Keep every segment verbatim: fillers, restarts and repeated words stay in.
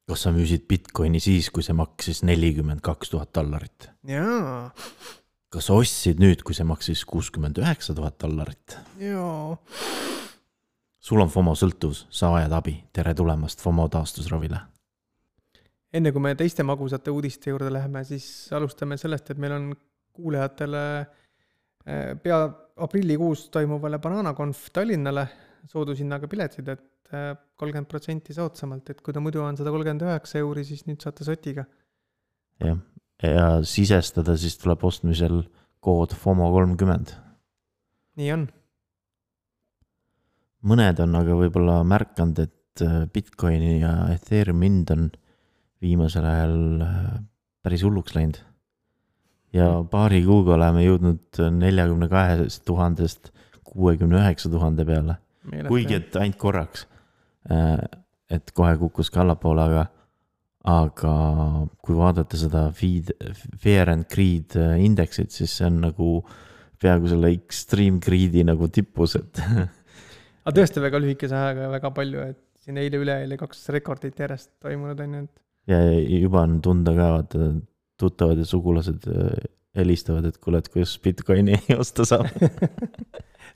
kas sa müüsid Bitcoini siis, kui see maksis nelikümmend kaks tuhat dollarit? Jaa. Kas sa ostsid nüüd, kui see maksis kuuskümmend üheksa tuhat dollarit? Jaa. Sul on FOMO sõltuvus, sa vajad abi. Tere tulemast FOMO taastusravile. Enne kui me teiste magusate uudiste juurde läheme, siis alustame sellest, et meil on kuulejatele pea aprillikuus toimuvale Bananaconf Tallinnale soodushinnaga piletsid, et kolmkümmend protsenti soodsamalt, et kui ta muidu on sada kolmkümmend üheksa euri, siis nüüd saate sotiga. Ja, ja sisestada siis tuleb ostmisel kood FOMO kolmkümmend. Nii on. Mõned on aga võib-olla märkanud, et Bitcoini ja Ethereum hind on viimasel ajal päris hulluks läinud. Ja paari kuuga oleme jõudnud nelikümmend kaks tuhat kuuskümmend üheksa tuhande peale. Kuigi et ainult korraks, et kohe kukkus ka allapoole, aga, aga kui vaadata seda feed, Fear and Greed indeksit, siis see on nagu peaaegu selle Extreme Greedi nagu tippus, et aga tõesti väga lühikese ajaga väga palju, et siin eile üle eile kaks rekordit järjest toimunud on. Et... ja juba on tunda ka, vaata, tuttavad ja sugulased helistavad, et kuule, et kuidas Bitcoini osta saab.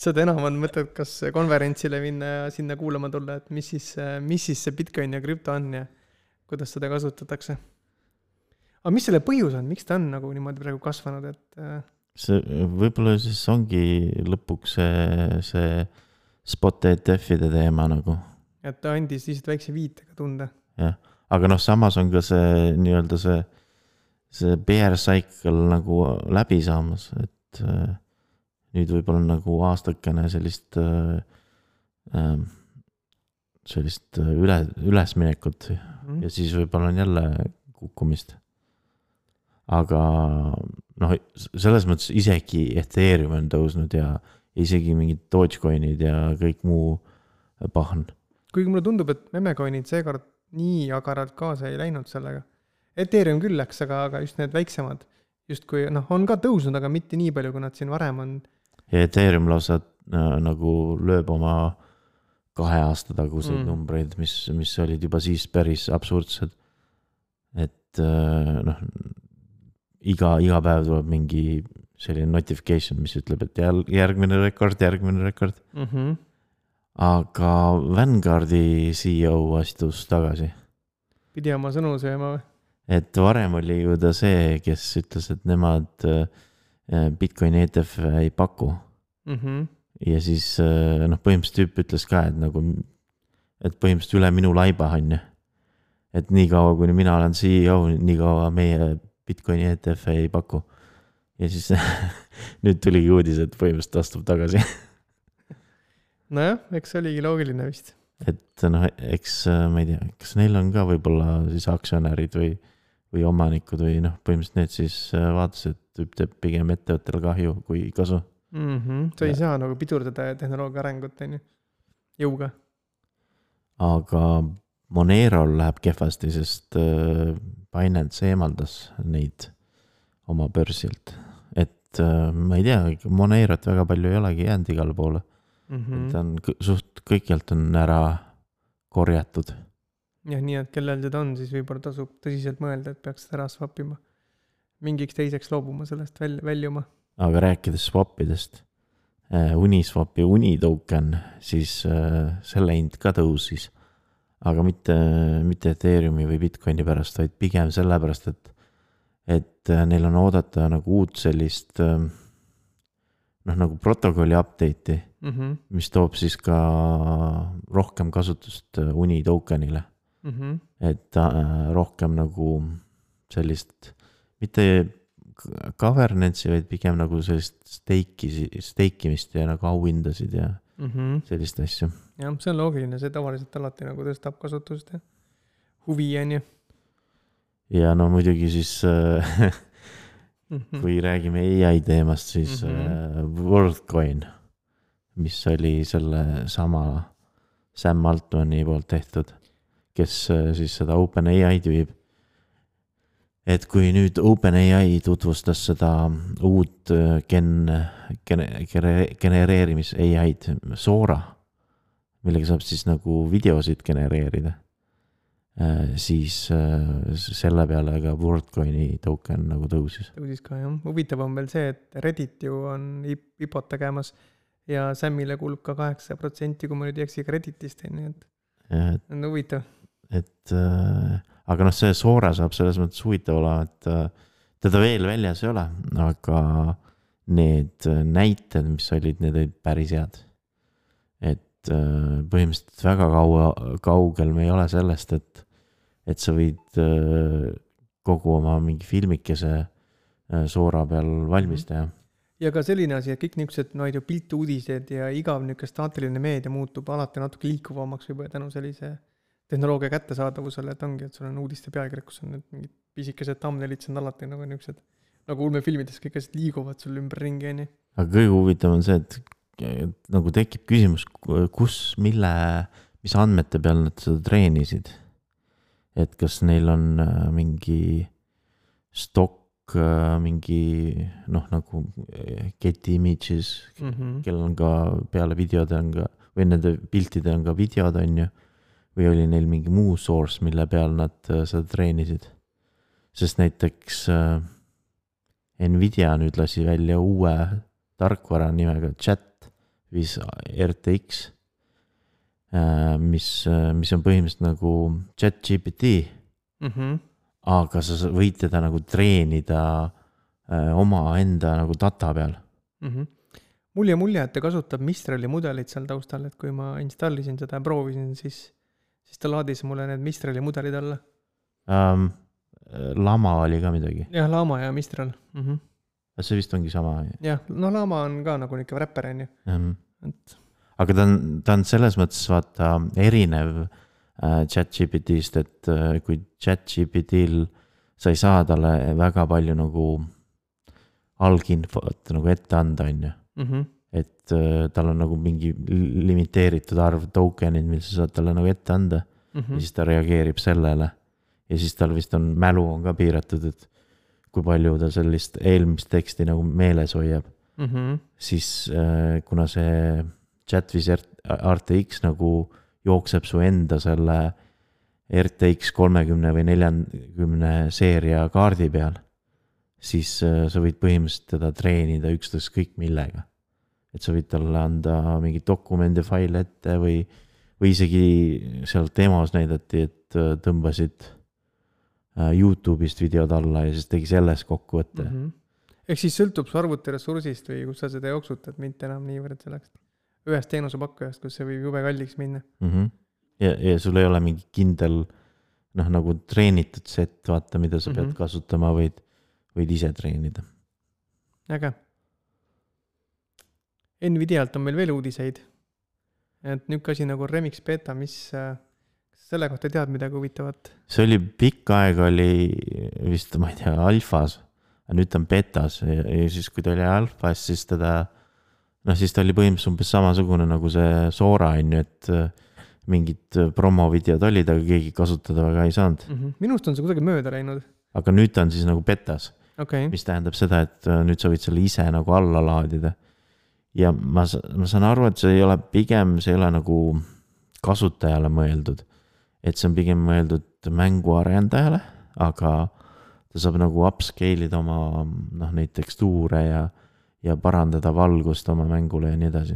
Seda enam on mõtet, kas konverentsile minna ja sinna kuulama tulla, et mis siis, mis siis see Bitcoin ja krüpto on ja kuidas seda kasutatakse. Aga mis selle põhjus on? Miks ta on nagu niimoodi praegu kasvanud? Et... See, võib-olla siis ongi lõpuks see, see spot E T F-ide teema nagu. Et ta andis lihtsalt väikse viitega tunda. Jah, aga noh, samas on ka see nii-öelda see, see bear cycle nagu läbi saamas, et nüüd võib-olla nagu aastakene sellist sellist üle, ülesminekut mm. ja siis võib-olla on jälle kukkumist. Aga noh, selles mõttes isegi Ethereum on tõusnud ja isegi mingid Dogecoinid ja kõik muu pahn. Kuigi mulle tundub, et memecoinid seekord nii agaralt kaasa ei läinud sellega. Ethereum küll läks, aga, aga just need väiksemad just kui, noh, on ka tõusnud, aga mitte nii palju, kui nad siin varem on. Ja Ethereum lausa äh, nagu lööb oma kahe aasta taguseid mm. numbreid, mis, mis olid juba siis päris absurdsed. Et äh, noh, iga, iga päev tuleb mingi selline notification, mis ütleb, et järgmine rekord, järgmine rekord. Mhm. Aga Vanguardi C E O astus tagasi. Pidi oma sõnu sööma või? Et varem oli ju ta see, kes ütles, et nemad Bitcoin E T F ei paku. Mm-hmm. Ja siis noh, põhimõtteliselt tüüp ütles ka, et nagu, et põhimõtteliselt üle minu laiba on. Et nii kaua, kuni mina olen C E O, nii kaua meie Bitcoin E T F ei paku. Ja siis nüüd tuligi uudis, et põhimõtteliselt astub tagasi. Nojah, eks oligi loogiline vist. Et noh, eks ma ei tea, kas neil on ka võib-olla siis aktsionärid või, või omanikud või noh, põhimõtteliselt need siis vaatas, et tüüp teeb pigem ettevõttele kahju kui kasu. Mm-hmm. See ei saa nagu pidurdada tehnoloogia arengut jõuga. Aga Monerol läheb kehvasti, sest Binance eemaldas neid oma börsilt. Et ma ei tea, Monerot väga palju ei olegi jäänud igale poole. Mm-hmm. Ta on suht kõikjalt on ära korjatud. Ja nii, et kellel seda on, siis võib-olla tasub tõsiselt mõelda, et peaks seda ära swapima. Mingiks teiseks loobuma sellest väl, väljuma. Aga rääkides swapidest, Uniswap ja Unitoken, siis selle hind ka tõusis. Aga mitte, mitte Ethereumi või Bitcoini pärast, vaid pigem selle pärast, et, et neil on oodata nagu uut sellist noh, nagu protokolli update'i, mm-hmm. mis toob siis ka rohkem kasutust Unitokenile. Mm-hmm. Et äh, rohkem nagu sellist, mitte governance'i, vaid pigem nagu sellist steiki, steikimist ja nagu auhindasid ja mm-hmm. sellist asju. Jah, see on loogiline, see tavaliselt alati nagu tõstab kasutust ja huvi on ju. Ja no muidugi siis äh, kui räägime A I teemast, siis mm-hmm. WorldCoin, mis oli selle sama Sam Altmani poolt tehtud, kes siis seda OpenAI viib. Et kui nüüd OpenAI tutvustas seda uut gen, gen, genereerimis A I-d Sora, millega saab siis nagu videosid genereerida. siis selle peale ka WorldCoini token nagu tõusis. Tõusis ka, jah. Huvitav on veel see, et Reddit ju on I P O T tegemas ja Samile kuulub ka kaheksa protsenti, kui ma nüüd ei eksi Redditist, nii et ja, et, on huvitav. Et, äh, aga noh, see Sora saab selles mõttes huvitav olla, et äh, teda veel väljas ei ole, aga need näited, mis olid, need olid päris head. Et äh, põhimõtteliselt väga kaua, kaugel me ei ole sellest, et et sa võid kogu oma mingi filmikese Sora peal valmis teha. Ja ka selline asi, et kõik niisugused no, piltuudised ja igav niisugune staatiline meedia muutub alati natuke liikuvamaks juba tänu sellise tehnoloogia kättesaadavusele, et ongi, et sul on uudiste pealkirjad, kus on need mingid pisikesed thumbnailid, see on alati nagu niisugused, nagu ulmefilmides kõik asjad liiguvad sul ümber ringi. Nii. Aga kõige huvitav on see, et, et nagu tekib küsimus, kus, mille, mis andmete peal nad seda treenisid. Et kas neil on mingi stock, mingi noh, nagu get images, mm-hmm. kellel on ka peale videode on ka, või nende piltide on ka videod on ju, või oli neil mingi muu source, mille peal nad seda treenisid. Sest näiteks Nvidia nüüd lasi välja uue tarkvara nimega Chat viis R T X, mis, mis on põhimõtteliselt nagu Chat G P T, mm-hmm. aga sa võid teda nagu treenida oma enda nagu data peal. Mm-hmm. Mul ja mulje, et ta kasutab Mistrali mudelit seal taustal, et kui ma installisin seda ja proovisin, siis, siis ta laadis mulle need Mistrali mudelid alla. Um, Lama oli ka midagi. Jah, Lama ja Mistral. Mm-hmm. See vist ongi sama. Jah, no Lama on ka nagu niisugune räpper, on ju. Mm-hmm. Et aga ta on, ta on selles mõttes vaata erinev äh, ChatGPT-st, et äh, kui ChatGPT-l sa ei saa talle väga palju nagu alginfot nagu ette anda, on ju. Mm-hmm. Et äh, tal on nagu mingi limiteeritud arv tokenid, mis sa saad talle nagu ette anda, mm-hmm. ja siis ta reageerib sellele. Ja siis tal vist on, mälu on ka piiratud, et kui palju ta sellist eelmist teksti nagu meeles hoiab. Mm-hmm. Siis äh, kuna see Chat viis R T X nagu jookseb su enda selle R T X kolmekümne või neljakümne seeria kaardi peal, siis sa võid põhimõtteliselt teda treenida ükstõs kõik millega. Et sa võid talle anda mingi dokumendi faile ette või, või isegi seal demos näidati, et tõmbasid YouTube'ist videod alla ja siis tegi selles kokkuvõtte. Mm-hmm. Ehk siis sõltub su arvuti ressursist või kus sa seda jooksutad, mitte enam niivõrd selleks ühest teenusepakkujast, kus see võib jube kalliks minna. Mm-hmm. Ja, ja sul ei ole mingi kindel, noh, nagu treenitud set, vaata, mida sa mm-hmm. pead kasutama, võid, võid ise treenida. Äge. Nvidialt on meil veel uudiseid. Et nüüd asi nagu Remix Beta, mis selle kohta tead midagi huvitavat? See oli pikk aeg, oli vist, ma ei tea, alfas, aga nüüd on betas ja, ja siis kui ta oli alfas, siis teda noh, siis ta oli põhimõtteliselt umbes samasugune nagu see Sora, et mingid promovideod olid, aga keegi kasutada väga ei saanud. Mm-hmm. Minust on see kuidagi mööda läinud. Aga nüüd ta on siis nagu betas, okay. Mis tähendab seda, et nüüd sa võid selle ise nagu alla laadida. Ja ma, ma saan aru, et see ei ole pigem, see ei ole nagu kasutajale mõeldud, et see on pigem mõeldud mänguarendajale, aga ta saab nagu upscale'ida oma noh, neid tekstuure ja ja parandada valgust oma mängule ja nii edasi.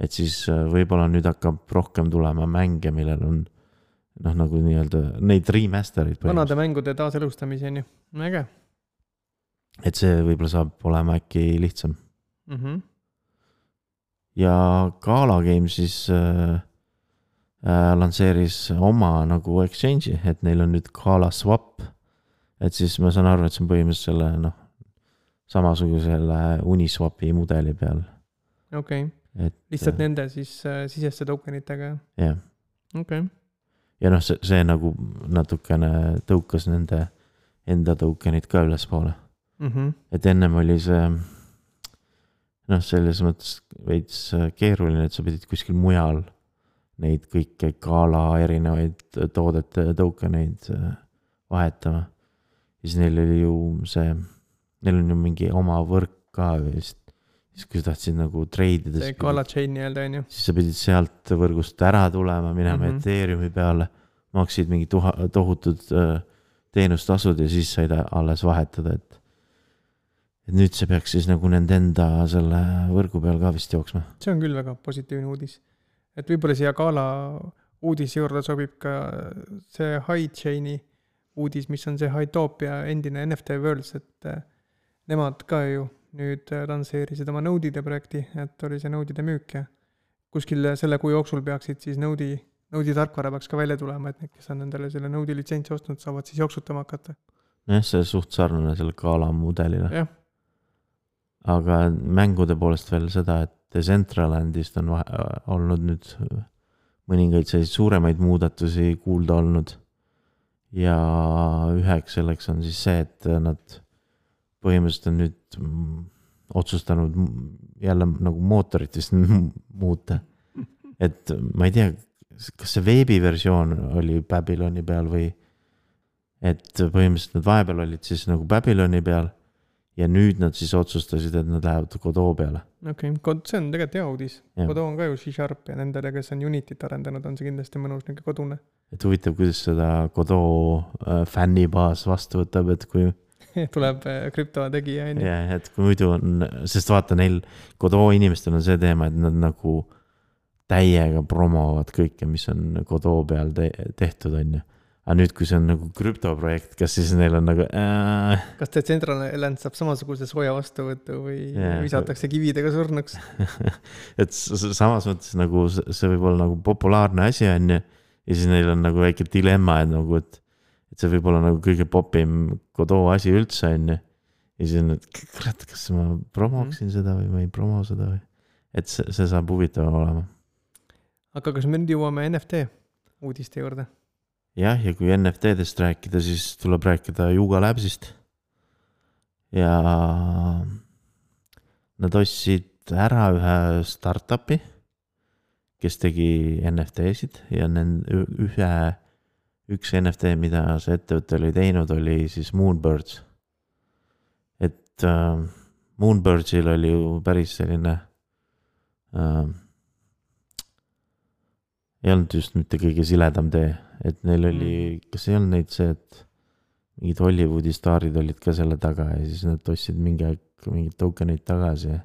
Et siis võib-olla nüüd hakkab rohkem tulema mänge, millel on noh, nagu nii-öelda neid remasterid. Vanade mängude taaselustamise on ju. Äge. Et see võib-olla saab olema äkki lihtsam. Mm-hmm. Ja Gala Games siis äh, äh, lansseeris oma nagu exchange'i, et neil on nüüd Gala Swap. Et siis ma saan aru, et see on põhimõtteliselt selle noh, samasugusele Uniswapi mudeli peal. Okei. Okay. Lihtsalt äh, nende siis äh, siseste tokenitega. Jah. Okei. Okay. Ja noh, see, see nagu natukene tõukas nende enda tokenid ka üles poole. Mm-hmm. Et ennem oli see noh, selles mõttes veits keeruline, et sa pidid kuskil mujal neid kõike Gala erinevaid toodete tokeneid vahetama. Ja siis neil oli ju see neil on ju mingi oma võrk ka vist. Siis kui sa tahtsid nagu treidida, see Gala chain nii-öelda on ju. Siis sa pidid sealt võrgust ära tulema, minema mm-hmm. Ethereumi peale, maksid mingi tuha, tohutud äh, teenustasud ja siis said alles vahetada, et et nüüd see peaks siis nagu nende enda selle võrgu peal ka vist jooksma. See on küll väga positiivne uudis. Et võib-olla siia Gala uudise juurde sobib ka see HiChaini uudis, mis on see Hytopia endine N F T Worlds, et nemad ka ju nüüd lansseerisid oma Node'ide projekti, et oli see Node'ide müük ja kuskil selle kuu jooksul peaksid siis Node'i, Node'i tarkvara peaks ka välja tulema, et need, kes on nendele selle Node'i litsentsi ostnud, saavad siis jooksutama hakata. Jah, see suht sarnane selle Gala mudelile. Jah. Aga mängude poolest veel seda, et Decentralandist on vahe, olnud nüüd mõningaid selliseid suuremaid muudatusi kuulda olnud ja üheks selleks on siis see, et nad põhimõtteliselt on nüüd otsustanud jälle nagu mootorit vist muuta. Et ma ei tea, kas see veebiversioon oli Babyloni peal või et põhimõtteliselt nad vahepeal olid siis nagu Babyloni peal ja nüüd nad siis otsustasid, et nad lähevad Godot peale. Okei, okay. See on tegelikult hea uudis. Ja. Godot on ka ju C-Sharp ja nendele, kes on Unityt arendanud, on see kindlasti mõnus niisugune kodune. Et huvitav, kuidas seda Godot fännibaas vastu võtab, et kui tuleb krüpto tegija. Ja, et kui muidu on, sest vaata neil Godot inimestel on see teema, et nad nagu täiega promovad kõike, mis on Godot peal te- tehtud on ju. Aga nüüd, kui see on nagu krüptoprojekt, kas siis neil on nagu äh... kas Decentraland saab samasuguse soja vastuvõttu või yeah. visatakse kividega surnuks? et samas mõttes nagu see võib olla nagu populaarne asi on ju, ja siis neil on nagu väike dilemma, et, nagu, et, et see võib olla nagu kõige popim Godot asi üldse on ju. Ja siis on, et kurat, kas ma promoksin mm. seda või ma ei promo seda või? Et see, see saab huvitav olema. Aga kas me nüüd jõuame N F T uudiste juurde? Jah, ja kui N F T-dest rääkida, siis tuleb rääkida Yuga Labsist. Ja nad ostsid ära ühe startupi, kes tegi N F T-sid ja nende ühe, üks N F T, mida see ettevõte oli teinud, oli siis Moonbirds. Et äh, Moonbirdsil oli ju päris selline äh, ei olnud just mitte kõige siledam tee, et neil oli, kas ei olnud neid see, et mingid Hollywoodi staarid olid ka selle taga ja siis nad ostsid mingi aeg mingid tokenid tagasi.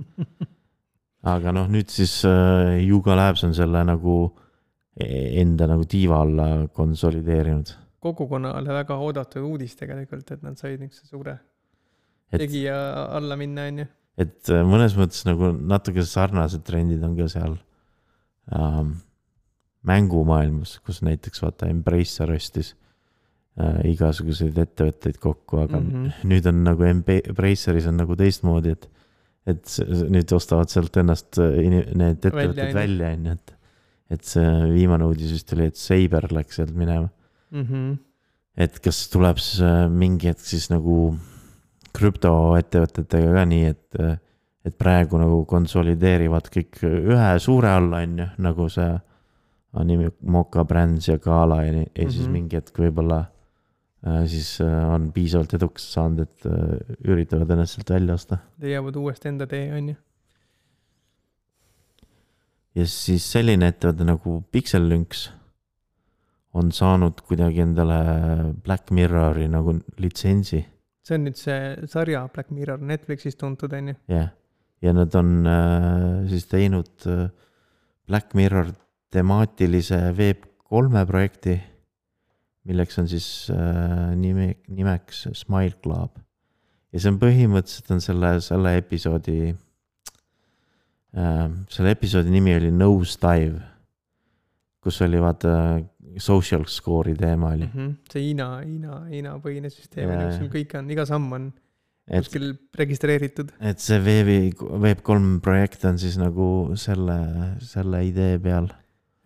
Aga noh, nüüd siis uh, Yuga Labs on selle nagu enda nagu tiiva alla konsolideerinud. Kogukonnale väga oodatud uudis tegelikult, et nad said niisuguse suure et, tegija alla minna, on ju. Et mõnes mõttes nagu natuke sarnased trendid on ka seal um, mängumaailmas, kus näiteks vaata Embracer ostis äh, igasuguseid ettevõtteid kokku, aga mm-hmm. nüüd on nagu Embraceris on nagu teistmoodi, et, et nüüd ostavad sealt ennast need ettevõtted välja, välja, et, et see viimane uudis vist oli, et Saber läks sealt minema. Mm-hmm. Et kas tuleb mingi hetk siis nagu krüptoettevõtetega ka nii, et, et praegu nagu konsolideerivad kõik ühe suure alla, on ju, nagu see Anime Moka Brands ja Gala ja, ja siis mm-hmm. mingi hetk võib-olla äh, siis äh, on piisavalt eduks saanud, et äh, üritavad ennast sealt välja osta. Leiavad uuesti enda tee, on ju. Ja siis selline ettevõte nagu Pixel Lynx on saanud kuidagi endale Black Mirrori nagu litsentsi. See on nüüd see sarja Black Mirror Netflixis tuntud, on ju. Ja, ja nad on äh, siis teinud äh, Black Mirror temaatilise Web kolme projekti, milleks on siis äh, nime, nimeks Smile Club. Ja see on põhimõtteliselt on selle, selle episoodi äh, selle episoodi nimi oli Nosedive, kus oli vaata social score'i teema oli. Mm-hmm. See Hiina, Hiina, Hiina põhine süsteem, kus kõik on, iga samm on et, kuskil registreeritud. Et see Web kolm projekt on siis nagu selle, selle idee peal.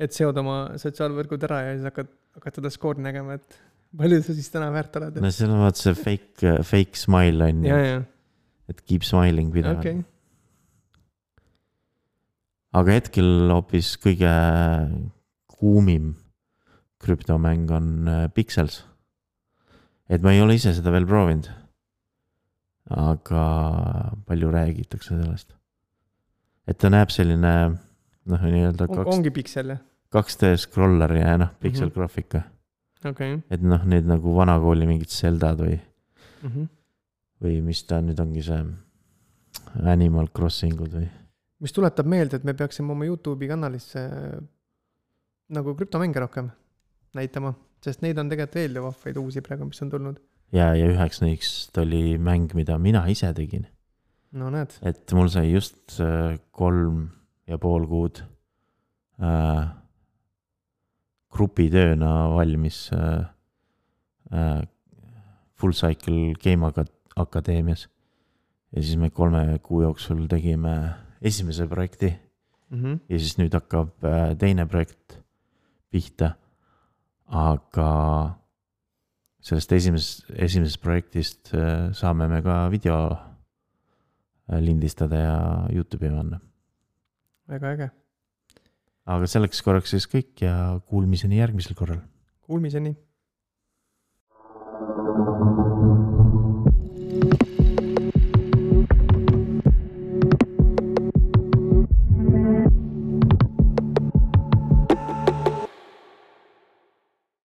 Et seod oma sotsiaalvõrgud ära ja siis hakkad, hakkad seda skoori nägema, et palju sa siis täna väärt oled. No seal on vaat see fake, fake smile on. Ja, ja. Et keep smiling pidevalt. Okay. Aga hetkel hoopis kõige kuumim krüptomäng on Pixels. Et ma ei ole ise seda veel proovinud. Aga palju räägitakse sellest. Et ta näeb selline noh, nii-öelda kaks, ongi Pixel, jah? kaks D scroller ja noh, Pixel mm-hmm. graafika. okei okay. et noh, need nagu vanakooli mingid Zeldad või mm -hmm. või mis ta nüüd ongi see Animal Crossingud või mis tuletab meelde, et me peaksime oma YouTube'i kanalisse nagu krüptomänge rohkem näitama, sest neid on tegelikult veel ju vahvaid uusi praegu, mis on tulnud. ja, ja üheks neist oli mäng, mida mina ise tegin. No näed. Et mul sai just kolm ja pool kuud äh, grupitööna valmis äh, äh, Full Cycle Game Akadeemias. Ja siis me kolme kuu jooksul tegime esimese projekti mm-hmm. ja siis nüüd hakkab äh, teine projekt pihta. Aga sellest esimesest, esimesest projektist äh, saame me ka video äh, lindistada ja YouTube'i panna. Väga äge. Aga selleks korraks siis kõik ja kuulmiseni järgmisel korral. Kuulmiseni.